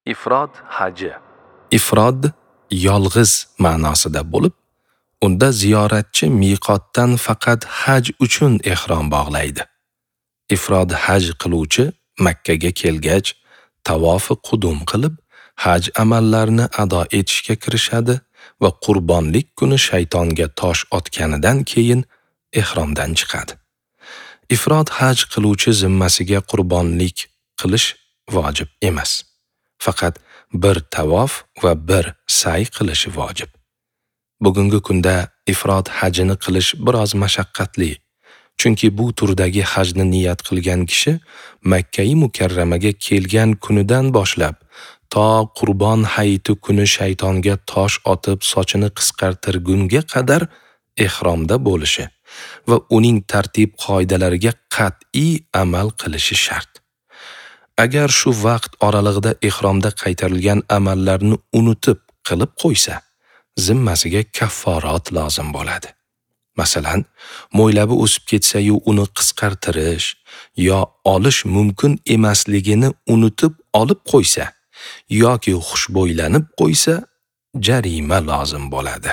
Ifrod haji. Ifrod yolg'iz ma'nosida bo'lib, unda ziyoratchi miqotdan faqat haj uchun ihrom bog'laydi. Ifrod haj qiluvchi Makka ga kelgach, tavofi qudum qilib, haj amallarini ado etishga kirishadi va qurbonlik kuni shaytonga tosh otganidan keyin ihromdan chiqadi. Ifrod haj qiluvchi zimmasiga qurbonlik qilish vojib emas. Faqat bir tavof va bir sa'y qilishi vojib. Bugungi kunda ifrod hajini qilish biroz mashaqqatli. Chunki bu turdagi hajni niyat qilgan kishi Makka-i Mukarramaga kelgan kunidan boshlab to Qurbon hayiti kuni shaytonga tosh otib sochini qisqartirgunga qadar ihromda bo'lishi va uning tartib qoidalariga qat'iy amal qilishi shart. Agar shu vaqt oralig'ida ihromda qaytarilgan amallarni unutib qilib qo'ysa, zimmasiga kafforat lozim bo'ladi. Masalan, mo'ylabi o'sib ketsa-yu uni qisqartirish yo olish mumkin emasligini unutib olib qo'ysa yoki xushbo'ylanib qo'ysa, jarima lozim bo'ladi.